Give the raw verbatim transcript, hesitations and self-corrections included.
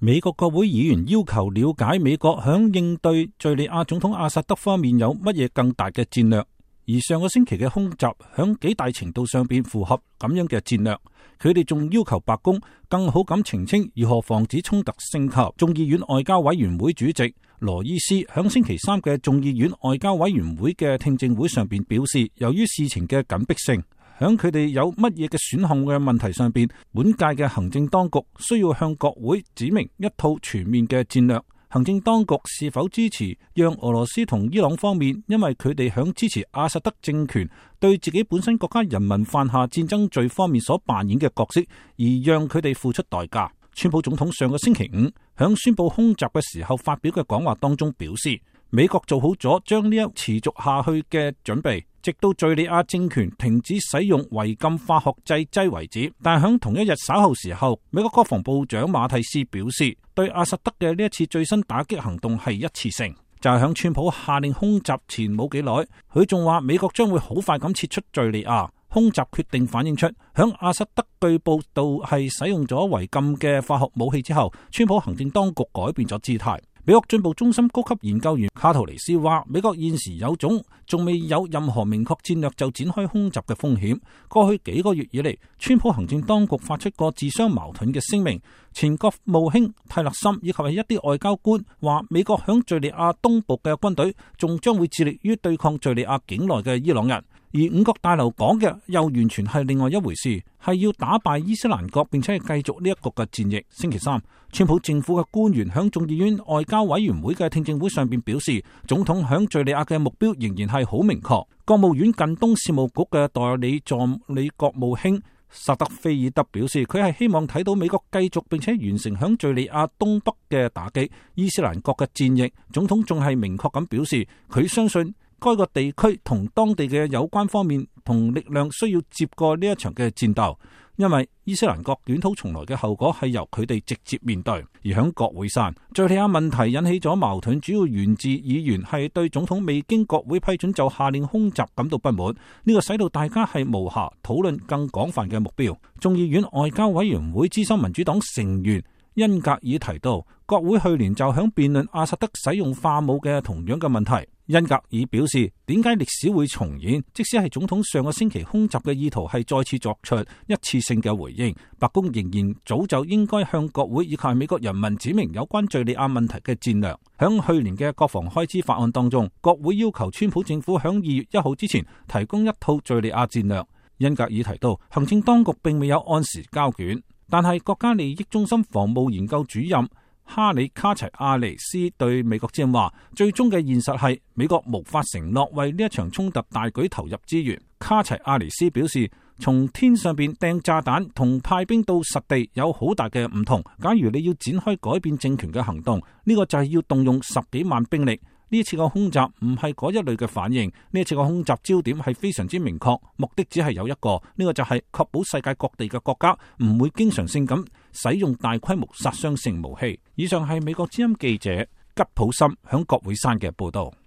美國國會議員要求了解美國響應對敘利亞總統阿薩德方面有乜嘢更大嘅戰略，而上個星期嘅空襲響幾大程度上邊符合咁樣嘅戰略。佢哋仲要求白宮更好咁澄清如何防止衝突升級。眾議院外交委員會主席羅伊斯響星期三嘅眾議院外交委員會嘅聽證會上邊表示，由於事情嘅緊迫性，響佢哋有乜嘢嘅選項嘅問題上邊，本屆嘅行政當局需要向國會指明一套全面嘅戰略。行政當局是否支持讓俄羅斯同伊朗方面，因為佢哋響支持阿薩德政權對自己本身國家人民犯下戰爭罪方面所扮演嘅角色，而讓佢哋付出代價。川普總統上個星期五響宣布空襲嘅時候發表嘅講話當中表示，美國做好咗將呢一持續下去嘅準備，直到敘利亞政權停止使用違禁化學製劑為止。但係響同一日稍後時候，美國國防部長馬蒂斯表示，對阿薩德嘅呢一次最新打擊行動係一次性，就係響川普下令空襲前冇幾耐，佢仲話美國將會好快咁撤出敘利亞。空襲決定反映出響阿薩德據報道係使用咗違禁嘅化學武器之後，川普行政當局改變咗姿態。美國進步中心高級研究員卡圖尼斯話，美國現時有種仲未有任何明確戰略就展開空襲嘅風險。過去幾個月以嚟，川普行政當局發出過自相矛盾嘅聲明。前國務卿泰勒森以及係一啲外交官話，美國響敘利亞東部嘅軍隊仲將會致力於對抗敘利亞境內嘅伊朗人。而五角大樓講嘅又完全係另外一回事，係要打敗伊斯蘭國，並且係繼續呢一個嘅戰役。星期三，川普政府嘅官員響眾議院外交委員會嘅聽證會上邊表示，總統響敘利亞嘅目標仍然係好明確。國務院近東事務局嘅代理助理國務卿薩德菲爾德表示，佢係希望睇到美國繼續並且完成響敘利亞東北嘅打擊伊斯蘭國嘅戰役。總統仲係明確咁表示，佢相信該個地區同當地嘅有關方面同力量需要接過呢一場嘅戰鬥，因為伊斯蘭國捲土重來嘅後果係由佢哋直接面對。而響國會山，敘利亞問題引起咗矛盾，主要源自議員係對總統未經國會批准就下令空襲感到不滿，呢個使到大家係無暇討論更廣泛嘅目標。眾議院外交委員會資深民主黨成員恩格爾提到，國會去年就響辯論阿薩德使用化武嘅同樣嘅問題。恩格爾表示，點解歷史會重演？即使係總統上個星期空襲嘅意圖係再次作出一次性嘅回應，白宮仍然早就應該向國會以及美國人民指明有關敘利亞問題嘅戰略。響去年嘅國防開支法案當中，國會要求川普政府響二月一號之前提供一套敘利亞戰略。恩格爾提到，行政當局並未有按時交卷，但係國家利益中心防務研究主任哈里卡齊亞尼斯對美國之音話，最終嘅現實係美國無法承諾為呢一場衝突大舉投入資源。卡齊亞尼斯表示，從天上邊掟炸彈同派兵到實地有好大嘅唔同。假如你要展開改變政權嘅行動，呢個就係要動用十幾萬兵力。呢次個空襲唔係嗰一類嘅反應，呢次個空襲焦點係非常之明確，目的只係有一個，呢個就係確保世界各地嘅國家唔會經常性咁使用大規模殺傷性武器。以上係美國之音記者吉普森響國會山嘅報道。